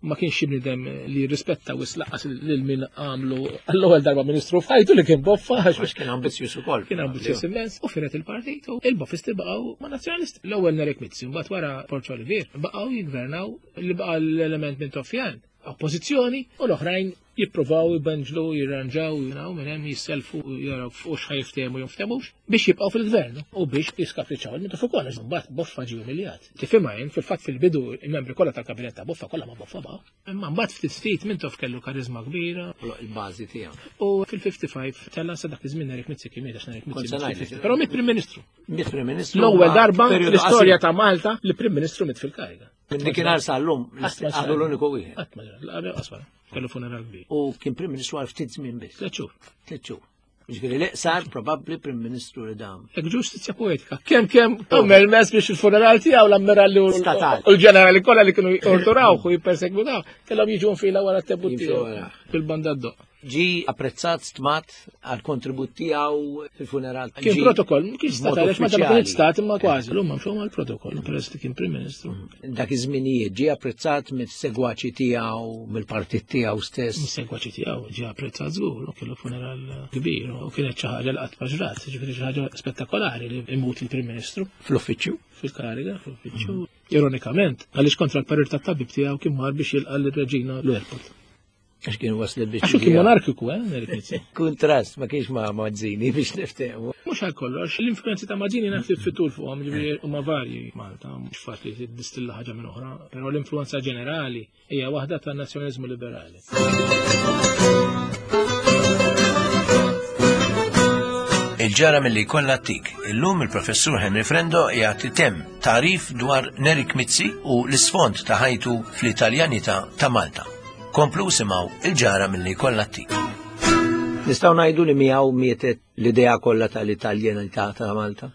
Ma kienx xi bniedem li jirrispetta wisq laqqas lil min għamlu għall-ewwel darba ministru f'ħajtu li kien boffa għax kien ambizzjuż ukoll. Kien ambizzjuż immens u firet il-partit u il-boffisti baqgħu ma' nazzjonalisti. L-ewwel Nerik Mizzi, mbagħad wara Borg Olivier baqgħu jiggvernaw li baqa' l-element Mintoffjan oppożizzjoni u l-oħrajn jippruvaw jbenġlu, jirranġaw, jinaw minn hemm jisselfu jaraw fuq x'ħa jiftehmu jew ftehmux biex jibqgħu fil-gvern u biex jiskapriċċaw il-Mintoff ukoll għax mbagħad Boffa ġie umiljat. Tifhimha jien fil-fatt fil-bidu il-membri kollha tal-kabinett ta' Boffa kollha ma' Boffa baqgħu. Imma mbagħad ftit ftit Mintoff kellu kariżma kbira. Il-bażi tiegħu. U fil-55 tella' sa dak iż-żmien Nerik Mizzi kien miet għax Nerik Mizzi. Però miet Prim Ministru. Miet Prim Ministru. L-ewwel darba fl-istorja ta' Malta li Prim Ministru miet fil-kariga. Minn dikinhar sal-lum, għadu l-uniku wieħed. Qatt ma ġara, qaswara, kellu funeral kbir. U kien Prim Ministru għal ftit żmien biss. Tliet xhur. Tliet xhur. Ġifieri li sar probabbli Prim Ministru li dam. Hekk ġustizzja poetika. Kemm kemm għamel mess biex il-funeral tiegħu l-ammiralli u l-ġenerali kollha li kienu jorturawh u jippersegwitaw, kellhom jiġu nfila wara t-tebut tiegħu bil-banda d-doq. Ġi apprezzat, stmat għal kontribut tiegħu fil-funeral. Kien protokoll, kien stat għaliex ma kien stat imma kważi. L-huma mxew mal-protokoll peress li kien Prim Ministru. Dak iż-żminijiet ġie apprezzat mis-segwaċi tiegħu, mill-partit tiegħu stess. Mis-segwaċi tiegħu ġie apprezzat żgur, u kellu funeral kbir u kienet xi ħaġa li qatt ma ġrat, ġifieri xi ħaġa spettakolari li imut il-Prim Ministru. Fl-uffiċċju? Fil-kariga, fl-uffiċċju. Ironikament, għaliex kontra l-parir tat-tabib tiegħu kien mar biex jilqa' lir-reġina l-airport. Għax kien waslet biex. Għax kien monarkiku, eh, Kuntrast, ma kienx ma' Mazzini biex niftehmu. Mhux għal kollox, l-influenzi ta' Mazzini naf fit-tul fuqhom, ġifieri huma varji Malta, mhux faċli tiddistilla ħaġa minn oħra, però l-influenza ġenerali hija waħda ta' nazzjonaliżmu liberali. Il-ġara mill-li kollha tik. Illum il-professur Henry Frendo jagħti tem tarif dwar Nerik Mizzi u l-isfond ta' ħajtu fl-Italjanità ta' Malta. Komplu simgħu il-ġara milli jkollha t-tik. Nistgħu ngħidu li miegħu mietet l-idea kollha tal-Italjanità ta' Malta?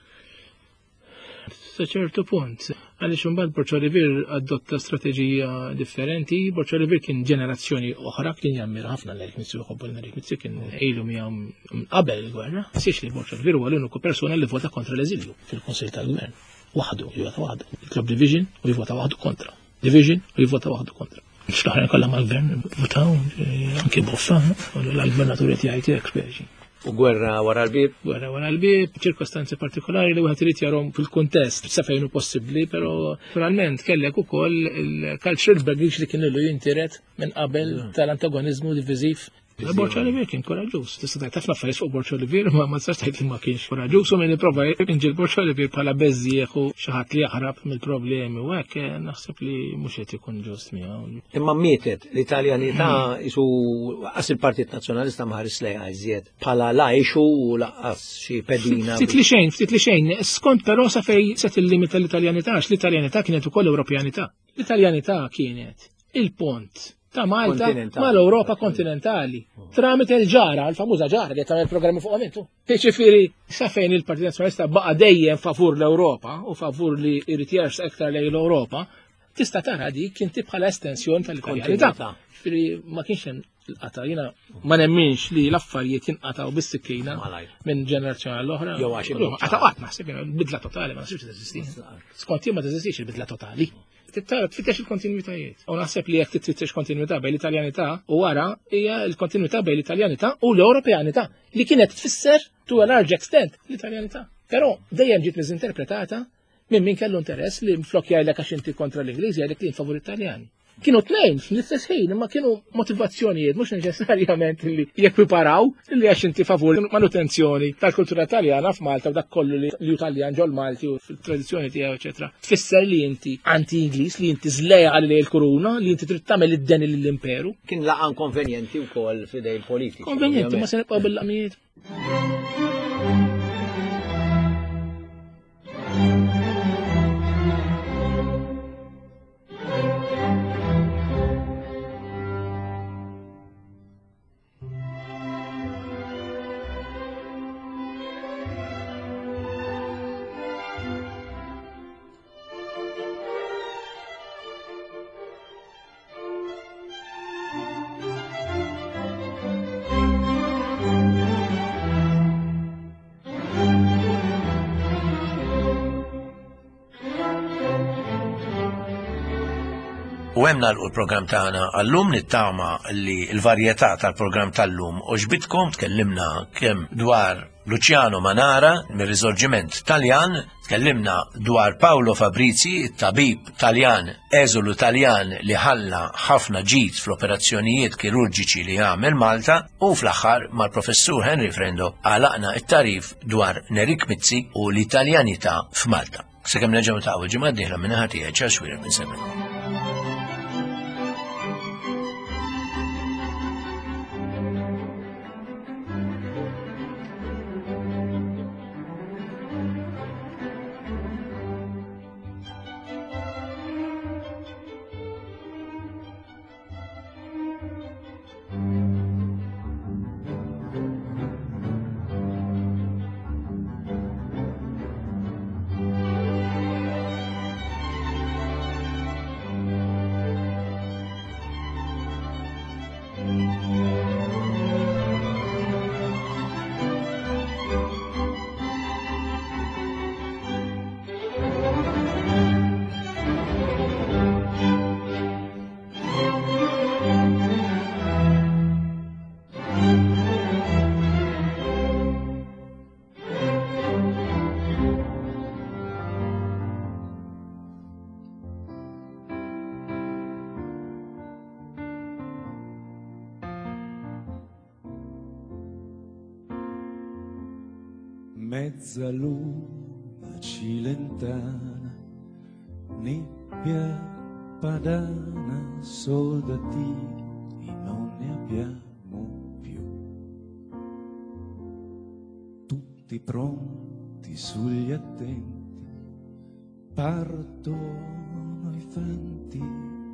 Sa ċertu punt, għaliex imbagħad Borg Olivier adotta strateġija differenti. Borg Olivier kien ġenerazzjoni oħra, kien jammira ħafna l-Erik Mizzi u jħobbu l-Erik Mizzi, kien ilu miegħu minn qabel il-gwerra. Siex li Borg Olivier huwa l-uniku persuna li vota kontra l-eżilju fil-Kunsill tal-Gvern. Waħdu, jivota waħdu. Jitlob division u jivota waħdu kontra. Division u jivvota waħdu kontra. L-oħrajn kollha mal-gvern votaw, eh, anki boffa, u l-gvernatur qed jgħid hekk speċi. U gwerra wara l-bib? Gwerra wara l-bib, ċirkostanzi partikolari li wieħed irid jarhom fil-kuntest sa fejn hu possibbli, però naturalment kellek ukoll il-cultural baggage li kien ilu jintiret minn qabel mm. tal-antagonizmu diviżiv Borg Olivier kien koraġġuż. Tista' tgħid ħafna affarijiet fuq Borg Olivier, ma ma tistax tgħid li ma kienx koraġġuż u min ipprova jinġil Borg Olivier bħala beżżieħ u xi ħadd li jaħrab mill-problemi u hekk eh, naħseb li mhux qed ikun ġust miegħu. Imma mietet l-Italjanità isu qas il-Partit Nazzjonalista ma ħares lejha iżjed bħala lajxu u laqqas xi pedina. Ftit li xejn, ftit li xejn, skont però sa fej se tillimita l-Italjanità, għax l-Italjanità kienet ukoll Ewropjanità. L-Italjanità kienet il-pont ta' Malta mal-Ewropa kontinentali. Tramite l-ġara, l-famuża ġara li tagħmel programmi fuq intu. Jiġifieri sa fejn il-Partit Nazzjonalista baqa' dejjem favur l-Ewropa u favur li jrid jersaq iktar lejn l-Ewropa, tista' tara dik kien bħala estensjoni tal-Italjanità. Ġifieri ma kienx hemm l-qata. Jiena ma nemminx li l-affarijiet jinqatgħu bis-sikkina minn ġenerazzjoni għall-oħra. Jew għax qata' qatt naħseb bidla totali ma naħsibx teżisti. Skont jien ma teżistix il-bidla totali. Tara tfittex il-kontinuitajiet. U naħseb li jekk tfittex kontinuità bejn l-Italjanità u wara hija l-kontinuità bejn l-Italjanità u l-Ewropeanità li kienet tfisser to a large extent l-Italjanità. Però dejjem ġiet miżinterpretata minn min kellu interess li flok jgħidlek għax inti kontra l-Ingliż jgħidlek li favur Italjani. Kienu tnejn fl-istess ħin, imma kienu motivazzjonijiet mhux neċessarjament li jekwiparaw li għax inti favur manutenzjoni tal-kultura Taljana f'Malta u dak kollu li hu Taljan ġol Malti u fil-tradizzjoni tiegħu eċetera. Tfisser li inti anti-Ingliż, li inti żlejal lejn il-kuruna, li inti trid tagħmel id-deni lill-imperu. Kien laqan konvenjenti wkoll f'idej il-politiċi. Konvenjenti, ma se nibqgħu bil-laqmijiet. U hemm nagħlqu l-programm tagħna għallum nittama li l-varjetà tal-programm tal-lum għoġbitkom tkellimna kemm dwar Luciano Manara mir-Risorġiment Taljan, tkellimna dwar Paolo Fabrizi, it-tabib Taljan, eżulu Taljan li ħalla ħafna ġid fl-operazzjonijiet kirurġiċi li għamel Malta u fl-aħħar mal-professur Henry Frendo għalaqna it-tarif dwar Nerik Mizzi u l-Italjanità f'Malta. Sakemm nerġgħu niltaqgħu il-ġimgħa d-dieħla minn naħa tiegħi Charles Xuereb insellmilkom. Mezza luna cilentana, nebbia padana, soldatini non ne abbiamo più. Tutti pronti sugli attenti, partono i fanti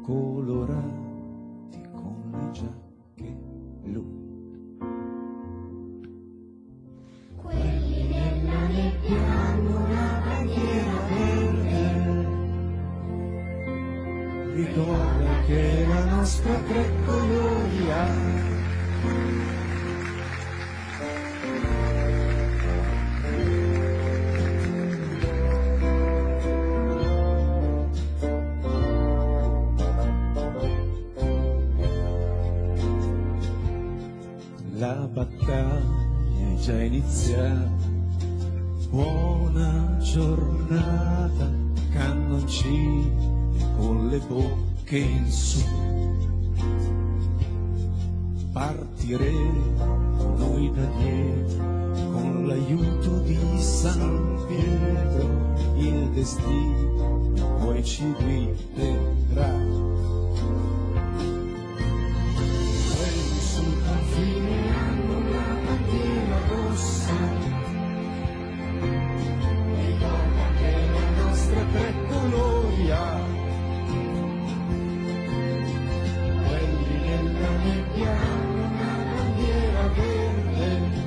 colorati con le giacche blu. Quelli nella nebbia hanno una bandiera verde. Ricorda che la nostra tre colori ha. La battaglia è già iniziata, buona giornata, cannoncini con le bocche in su. Partiremo noi da dietro con l'aiuto di San Pietro, il destino poi ci guiderà. Quelli sul confine hanno una bandiera rossa. Ricorda che la nostra tre colori ha. Quelli nella nebbia hanno una bandiera verde.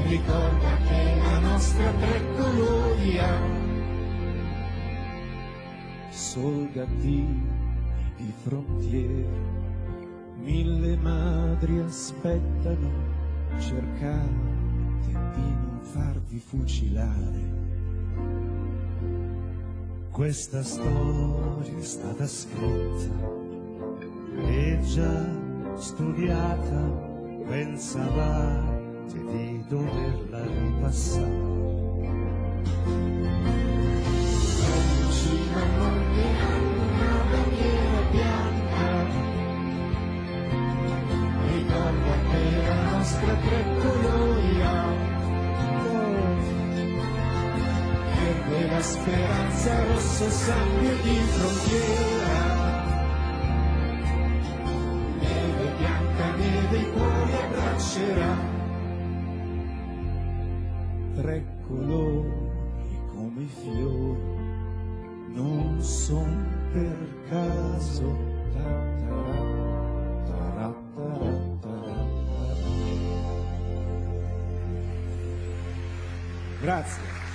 Ricorda che la nostra tre colori ha. Soldatini di frontiera, mille madri aspettano, cercate di non farvi fucilare. Questa storia è stata scritta e già studiata, pensavate di doverla ripassare. Vicino al monte hanno una bandiera bianca. Ricorda che la nostra tre colori ha. Verde la speranza, rosso sangue di frontiera. Neve bianca, neve i cuori abbraccerà. Tre colori come i fiori, non son per caso. Ta ta ra, ta ra, ta ra, ta ra. Grazie.